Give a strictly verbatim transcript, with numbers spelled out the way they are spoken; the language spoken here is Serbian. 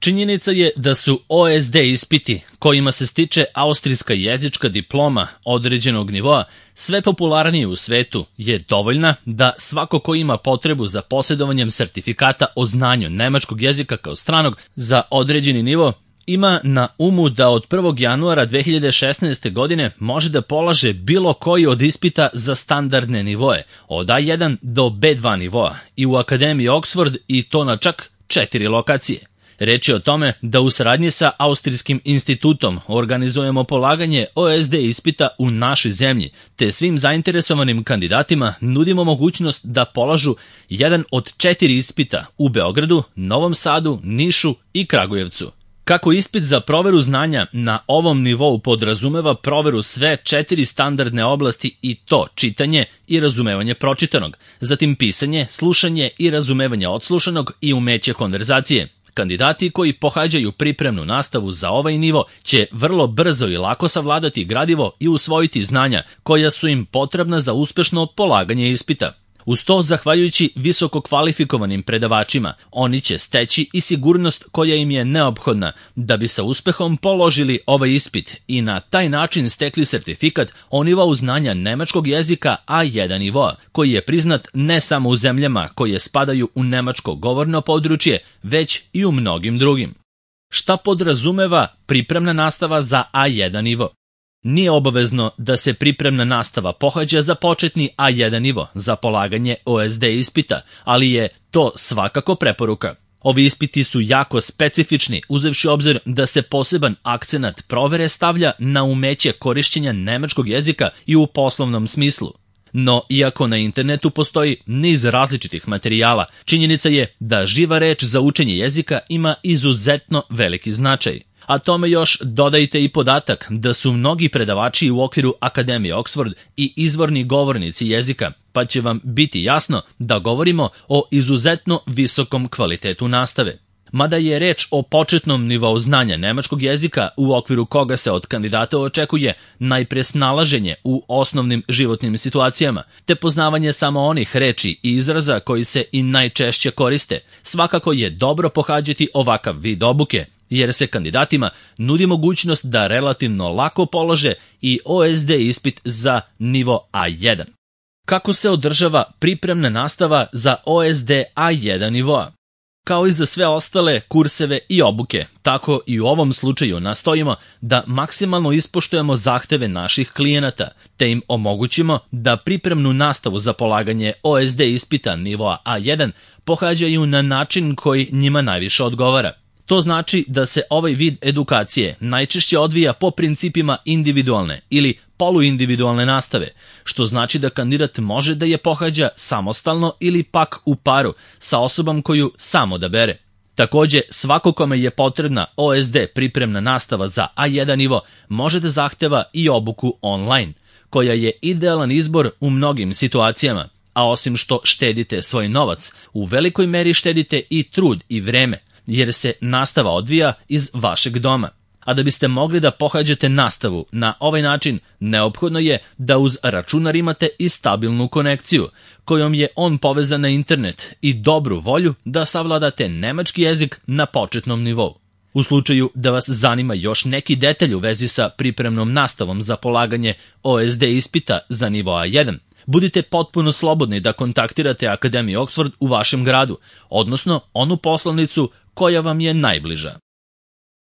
Činjenica je da su O S D ispiti, kojima se stiče austrijska jezička diploma određenog nivoa, sve popularniji u svetu, je dovoljna da svako ko ima potrebu za posjedovanjem sertifikata o znanju nemačkog jezika kao stranog za određeni nivo, ima na umu da od prvog januara dve hiljade šesnaeste. godine može da polaže bilo koji od ispita za standardne nivoe, od A jedan do B dva nivoa, i u Akademiji Oxford, i to na čak četiri lokacije. Reč je o tome da u saradnji sa Austrijskim institutom organizujemo polaganje O S D ispita u našoj zemlji, te svim zainteresovanim kandidatima nudimo mogućnost da polažu jedan od četiri ispita u Beogradu, Novom Sadu, Nišu i Kragujevcu. Kako ispit za proveru znanja na ovom nivou podrazumeva proveru sve četiri standardne oblasti, i to čitanje i razumevanje pročitanog, zatim pisanje, slušanje i razumevanje odslušanog i umeće konverzacije. Kandidati koji pohađaju pripremnu nastavu za ovaj nivo će vrlo brzo i lako savladati gradivo i usvojiti znanja koja su im potrebna za uspešno polaganje ispita. Uz to, zahvaljujući visoko kvalifikovanim predavačima, oni će steći i sigurnost koja im je neophodna da bi sa uspehom položili ovaj ispit i na taj način stekli sertifikat o nivou znanja nemačkog jezika A jedan nivoa, koji je priznat ne samo u zemljama koje spadaju u nemačko govorno područje, već i u mnogim drugim. Šta podrazumeva pripremna nastava za A jedan nivo? Nije obavezno da se pripremna nastava pohađa za početni A jedan nivo za polaganje O S D ispita, ali je to svakako preporuka. Ovi ispiti su jako specifični, uzevši obzir da se poseban akcenat provere stavlja na umeće korišćenja nemačkog jezika i u poslovnom smislu. No, iako na internetu postoji niz različitih materijala, činjenica je da živa reč za učenje jezika ima izuzetno veliki značaj. A tome još dodajte i podatak da su mnogi predavači u okviru Akademije Oxford i izvorni govornici jezika, pa će vam biti jasno da govorimo o izuzetno visokom kvalitetu nastave. Mada je reč o početnom nivou znanja nemačkog jezika u okviru koga se od kandidata očekuje najpre snalaženje u osnovnim životnim situacijama, te poznavanje samo onih reči i izraza koji se i najčešće koriste, svakako je dobro pohađati ovakav vid obuke, jer se kandidatima nudi mogućnost da relativno lako polože i O S D ispit za nivo A jedan. Kako se održava pripremna nastava za O S D A jedan nivoa? Kao i za sve ostale kurseve i obuke, tako i u ovom slučaju nastojimo da maksimalno ispoštujemo zahteve naših klijenata, te im omogućimo da pripremnu nastavu za polaganje O S D ispita nivoa A jedan pohađaju na način koji njima najviše odgovara. To znači da se ovaj vid edukacije najčešće odvija po principima individualne ili poluindividualne nastave, što znači da kandidat može da je pohađa samostalno ili pak u paru sa osobom koju sam odabere. Takođe, svako kome je potrebna O S D pripremna nastava za A jedan nivo može da zahteva i obuku online, koja je idealan izbor u mnogim situacijama, a osim što štedite svoj novac, u velikoj meri štedite i trud i vreme, jer se nastava odvija iz vašeg doma. A da biste mogli da pohađate nastavu na ovaj način, neophodno je da uz računar imate i stabilnu konekciju, kojom je on povezan na internet, i dobru volju da savladate nemački jezik na početnom nivou. U slučaju da vas zanima još neki detalj u vezi sa pripremnom nastavom za polaganje O S D ispita za nivo A jedan, budite potpuno slobodni da kontaktirate Akademiju Oxford u vašem gradu, odnosno onu poslovnicu koja vam je najbliža.